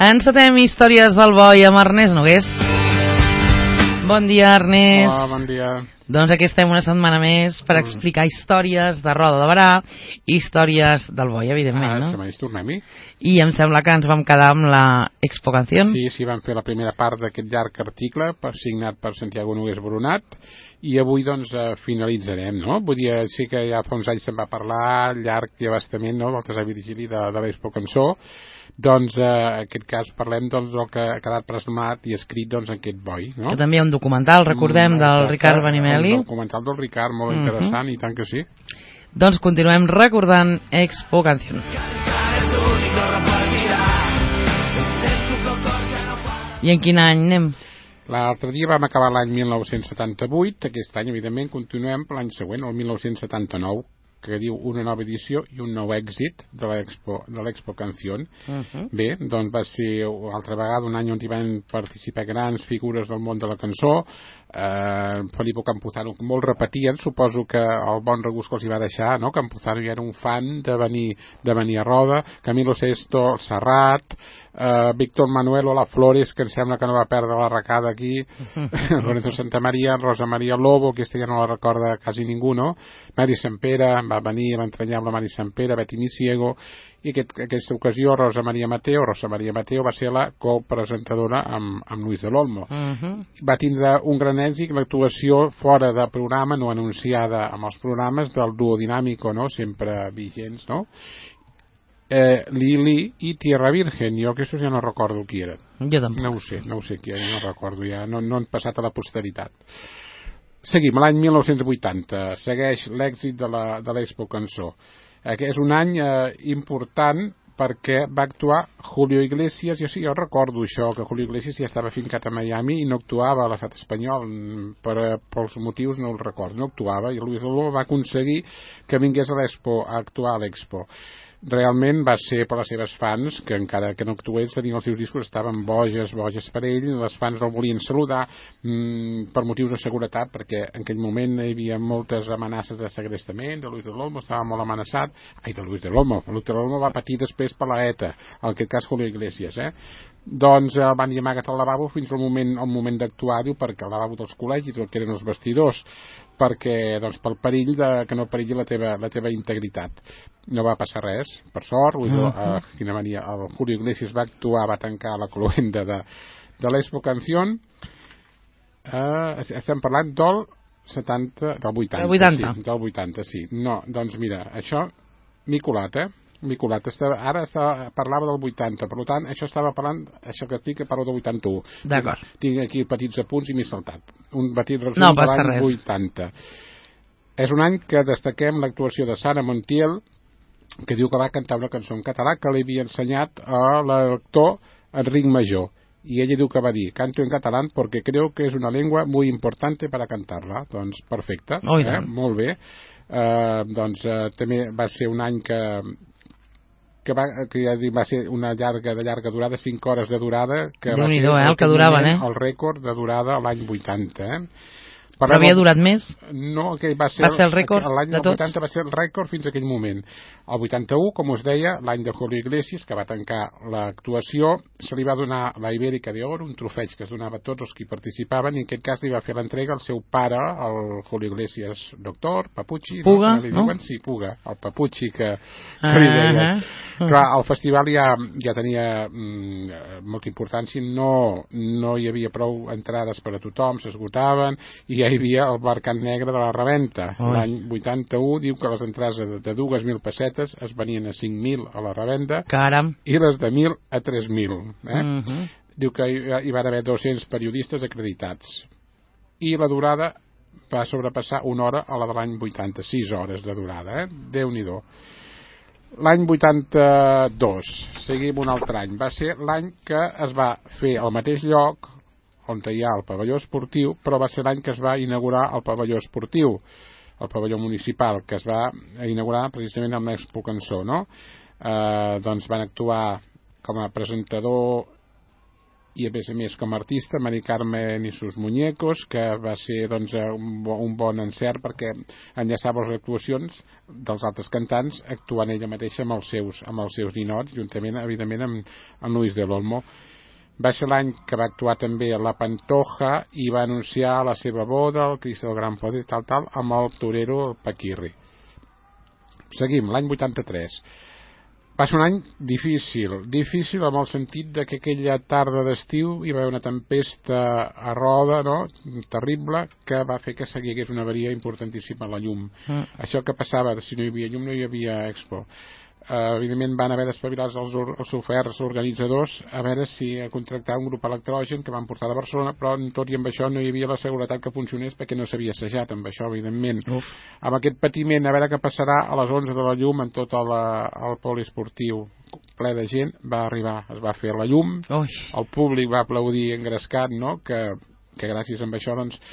Encetem històries del boi amb Ernest Nogués. Bon dia, Ernest. Hola, bon dia. Doncs aquí estem una setmana més per explicar històries de Roda de Berà, històries del boi, evidentment, no? Setmana, tornem-hi. I em sembla que ens vam quedar amb la Expo Canción. Sí, vam fer la primera part d'aquest llarg article signat per Santiago Nogués Boronat i avui doncs finalitzarem, no? Vull dir, sí que ja fa uns anys se'n va parlar llarg i abastament, no?, del Teseu Virgili de l'Expo Cançó. Doncs en aquest cas parlem del que ha quedat plasmat i escrit doncs en aquest boi, no? Que també hi ha un documental, recordem, del Ricard Benimeli. Un documental del Ricard, molt interessant, i tant que sí. Doncs continuem recordant Expo Canción. I en quin any anem? L'altre dia vam acabar l'any 1978, aquest any evidentment continuem per l'any següent, el 1979, que diu una nova edició i un nou èxit de l'Expo Canción. Bé, doncs va ser altra vegada un any on hi van participar grans figures del món de la cançó. Felipe Campuzano molt repetien, suposo que el bon regust que els hi va deixar, no? Campuzano ja era un fan de venir a Roda, Camilo Sesto, Serrat, Víctor Manuel o la Flores, que em sembla que no va perdre la recada aquí, Lorenzo Santamaría, Rosa María Lobo, aquesta ja no la recorda quasi ningú, no? Mari Sampere, va venir l'entranyable Mari Sampere, Betty Misiego, i aquesta ocasió Rosa María Mateo va ser la copresentadora amb Luis de l'Olmo. Va tindre un gran èxit l'actuació fora de programa, no anunciada amb els programes del duo dinàmico, no?, sempre vigents, no?, Lili i Tierra Virgen. Jo que això ja no recordo qui era. Jo tampoc. No ho sé qui era, no recordo ja, no han passat a la posteritat. Seguim, l'any 1980 segueix l'èxit de l'Expo Cançó. És un any important perquè va actuar Julio Iglesias. Jo recordo això, que Julio Iglesias ja estava fincat a Miami i no actuava a l'estat espanyol, pels motius no el recordo, no actuava, i Luis Lolo va aconseguir que vingués a actuar a l'Expo. Realment va ser per les seves fans, que encara que no actués, tenien els seus discos, estaven boges per ell, i les fans no el volien saludar per motius de seguretat, perquè en aquell moment hi havia moltes amenaces de segrestament, de Luis de l'Olmo estava molt amenaçat, Luis de l'Olmo va patir després per la ETA, en aquest cas Julio Iglesias, doncs el van dir amagat al lavabo fins al moment d'actuar, diu, perquè el lavabo dels col·legis, el que eren els vestidors, perquè, doncs, pel perill que no perilli la teva integritat. No va passar res, per sort. Quina mania, el Julio Iglesias va actuar, va tancar la cloenda de l'Expo Canción. Estem parlant del 80, sí. No, doncs mira, això m'hi colat, ara parlava del 80, per tant, això estava parlant, això que dic que parlo del 81. D'acord. Tinc aquí petits apunts i m'he saltat. Un petit resum de l'any 80. És un any que destaquem l'actuació de Sara Montiel, que diu que va cantar una cançó en català que li havia ensenyat a l'actor Enric Major. Y ella diu que va dir, canto en catalán porque creo que es una lengua muy importante para cantarla. Doncs perfecte, molt bé. Doncs també va ser un any que va ser una de llarga durada, 5 hores de durada, que va ser el que duraven, el rècord de durada l'any 80, Però havia durat més? No, que va ser el rècord de tots? L'any 80 va ser el rècord fins a aquell moment. El 81, com us deia, l'any de Julio Iglesias, que va tancar l'actuació, se li va donar la Ibérica d'Or, un trofeig que es donava a tots els que hi participaven, i en aquest cas li va fer l'entrega al seu pare, el Julio Iglesias doctor, Papucci. Puga, no? Sí, Puga, el Papucci que li deia. Clar, el festival ja tenia molta importància, no hi havia prou entrades per a tothom, s'esgotaven, i ja hi havia el mercat negre de la reventa. L'any 81 diu que les entrades de 2.000 pessetes es venien a 5.000 a la revenda. Caram. I les de 1.000 a 3.000. Diu que hi van haver 200 periodistes acreditats. I la durada va sobrepassar una hora a la de l'any 80, 6 hores de durada. Déu-n'hi-do. L'any 82, seguim un altre any, va ser l'any que es va fer al mateix lloc on hi ha el pavelló esportiu, però va ser l'any que es va inaugurar el pavelló esportiu, el pavelló municipal, que es va inaugurar precisament amb l'Expo Cançó, no? Doncs van actuar com a presentador i a més com a artista Mari Carmen i sus muñecos, que va ser doncs, un bon encert perquè enllaçava les actuacions dels altres cantants actuant ella mateixa amb els seus ninots, juntament evidentment amb Luis del Olmo. Va ser l'any que va actuar també a La Pantoja i va anunciar la seva boda, el Cristo del Gran Poder, tal, amb el torero, el Paquirri. Seguim, l'any 83. Va ser un any difícil amb el sentit de que aquella tarda d'estiu hi va haver una tempesta a Roda, no? Terrible, que va fer que s'hagués una avaria importantíssima a la llum. Això que passava, si no hi havia llum no hi havia Expo. Evidentment van haver d'espavilar els oferts organitzadors a veure si contractar un grup electrogen que van portar de Barcelona, però tot i amb això no hi havia la seguretat que funcionés perquè no s'havia assajat amb això, evidentment. Amb aquest patiment, a veure què passarà a les 11 de la llum en tot el poliesportiu ple de gent, va arribar, es va fer la llum. El públic va aplaudir engrescat, no? que gràcies a això doncs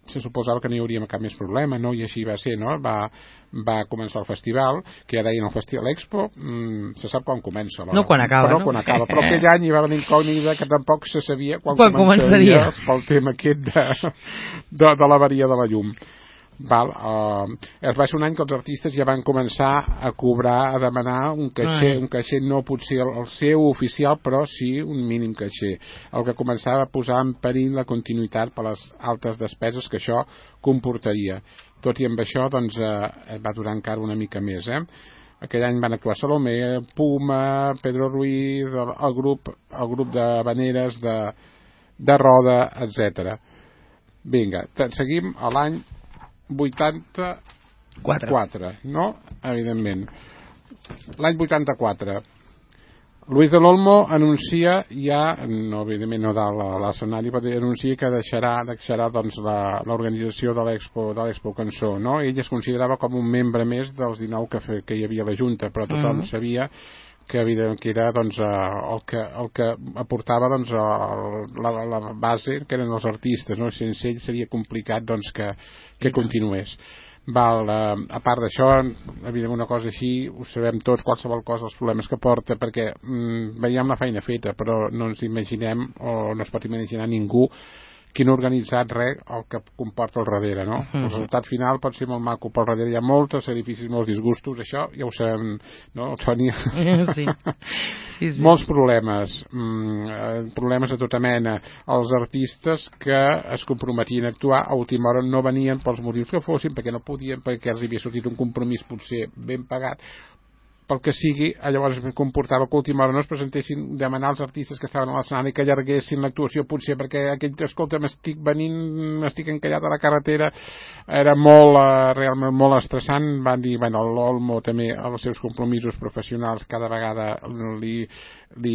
se suposava que no hi hauria cap més problema, no? I així va ser, no? Va començar el festival, que ja deien el Festival Expo, se sap quan comença. No quan acaba, però, no? Quan acaba. Però aquell any hi va haver l'incògnita que tampoc se sabia quan començaria pel tema aquest de l'avaria de la llum. Va ser un any que els artistes ja van començar a cobrar, a demanar un caixer no potser el seu oficial, però sí un mínim caixer, el que començava a posar en perill la continuïtat per les altes despeses que això comportaria. Tot i amb això doncs, va durar encara una mica més. Aquell any van actuar Salomé, Puma, Pedro Ruiz, el grup de Vaneres, de Roda, etc. Vinga, seguim a l'any 84, no? Evidentment. L'any 84. Luis del Olmo anuncia ja, no, evidentment no dalt a l'escenari, però anuncia que deixarà doncs, l'organització de l'Expo Cançó, no? Ell es considerava com un membre més dels 19 que hi havia a la Junta, però tothom sabia que era doncs, el que aportava doncs, la base, que eren els artistes, no? Sense ell seria complicat doncs, que continués. A part d'això, evidentment una cosa així, ho sabem tots, qualsevol cosa, els problemes que porta, perquè veiem la feina feta, però no ens imaginem, o no es pot imaginar ningú, qui no ha organitzat res el que comporta al darrere, no? El resultat final pot ser molt maco, però al darrere hi ha molts sacrificis, molts disgustos, això ja ho sabem, no, Tònia? Sí. Molts problemes, problemes de tota mena. Els artistes que es comprometien a actuar a última hora no venien pels motius que fossin, perquè no podien, perquè els havia sortit un compromís potser ben pagat, pel que sigui, llavors comportava que a última hora no es presentessin, demanar als artistes que estaven a l'escenari que allarguessin l'actuació, potser perquè escolta, m'estic encallat a la carretera, era realment molt estressant. Van dir, l'Olmo també els seus compromisos professionals cada vegada li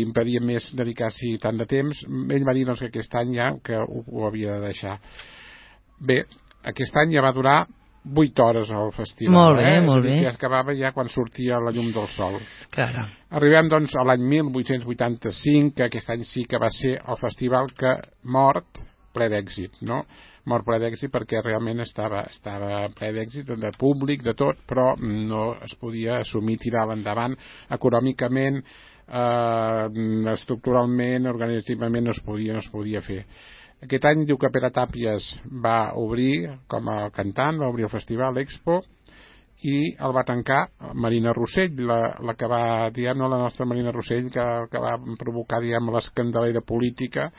impedia més dedicar-s'hi tant de temps. Ell va dir doncs, que aquest any ja que ho havia de deixar. Bé, aquest any ja va durar 8 hores al festival. Molt bé, molt bé. Ja acabava ja quan sortia la llum del sol. Claro. Arribem doncs a l'any 1885, que aquest any sí que va ser el festival que mort ple d'èxit, no? Mort ple d'èxit perquè realment estava ple d'èxit de públic, de tot, però no es podia assumir, tirar endavant econòmicament, estructuralment, organitzativament no es podia fer. Aquest any diu que Pere Tàpies va obrir com a cantant, va obrir el festival Expo, i el va tancar Marina Rossell, la que va, la nostra Marina Rossell, que va provocar, l'escandalera política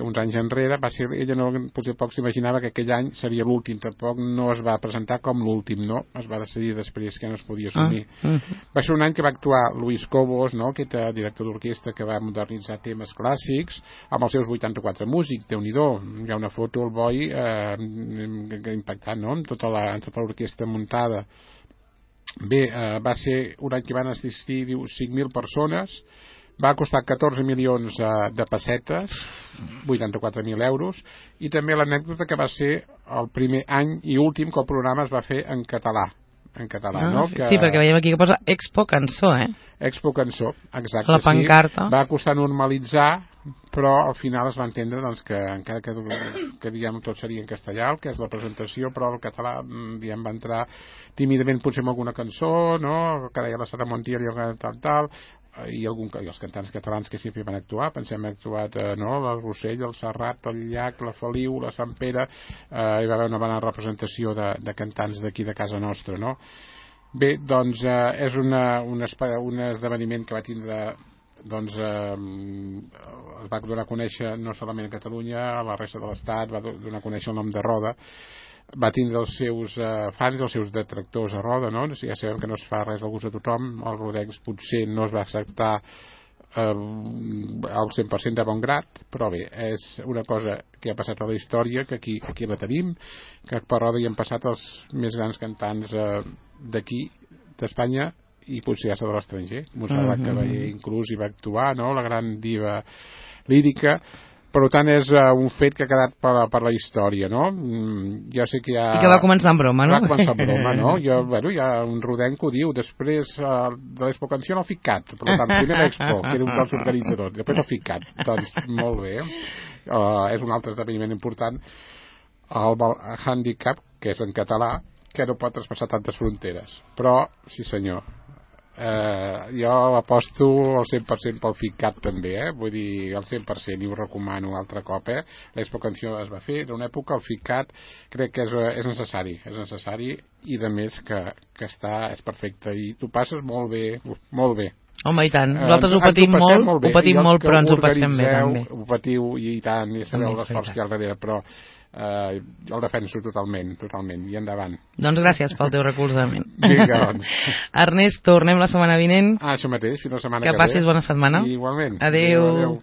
uns anys enrere. Ella potser poc s'imaginava que aquell any seria l'últim, tampoc no es va presentar com l'últim, no? Es va decidir després que no es podia assumir. Va ser un any que va actuar Luis Cobos, no? Aquest director d'orquestra que va modernitzar temes clàssics amb els seus 84 músics. Déu-n'hi-do, hi ha una foto al boi impactant, no? Amb tota l'orquestra muntada. Bé, va ser un any que van assistir 5.000 persones, va costar 14 milions de pessetes, 84.000 euros, i també l'anècdota que va ser el primer any i últim que el programa es va fer en català, no? Sí, perquè veiem aquí que posa Expo Cançó, Expo Cançó, exacte. La pancarta. Sí. Va costar normalitzar, però al final es va entendre doncs, que encara que tot seria en castellà, el que és la presentació, però el català va entrar tímidament potser amb alguna cançó, no? Que deia la Sara Montiel i tal, i els cantants catalans que sempre van actuar, pensem que han actuat el Rossell, el Serrat, el Llach, la Feliu, la Sant Pere, hi va haver una bona representació de cantants d'aquí de casa nostra, no? Bé, doncs és un esdeveniment que va tindre, doncs es va donar a conèixer no solament a Catalunya, a la resta de l'Estat, va donar a conèixer el nom de Roda, va tindre els seus fans, els seus detractors a Roda, no? Ja sabem que no es fa res al gust de tothom, el Rodex potser no es va acceptar al 100% de bon grat, però bé, és una cosa que ha passat a la història, que aquí la tenim, que per Roda hi han passat els més grans cantants d'aquí, d'Espanya, i potser ja de l'estranger. Montserrat Caballé inclús hi va actuar, no? La gran diva lírica. Per tant, és un fet que ha quedat per la història, no? Jo sé que hi ha... I que va començar en broma, no? Va començar en broma, no? Hi ha un rodenc que ho diu, després de l'Expo Canció el FICAT, per tant, primer l'Expo, que era un dels organitzadors, després el FICAT. Doncs, molt bé. És un altre esdeveniment important. El handicap, que és en català, que no pot traspassar tantes fronteres. Però, sí senyor, jo aposto al 100% pel FICAT també, vull dir, al 100%, i ho recomano un altre cop, l'Expo Canció es va fer, en una època el FICAT crec que és necessari, i de més que és perfecte, i tu passes molt bé, molt bé. Home, i tant, nosaltres ho patim molt, però ens ho passem bé també. Ho patiu i tant, i sabeu l'esforç que hi ha al darrere, però el defenso totalment, i endavant. Doncs gràcies pel teu recolzament. Vinga, doncs. Ernest, tornem la setmana vinent. Això mateix, fins la setmana que ve. Que passis bona setmana. Igualment. Adéu.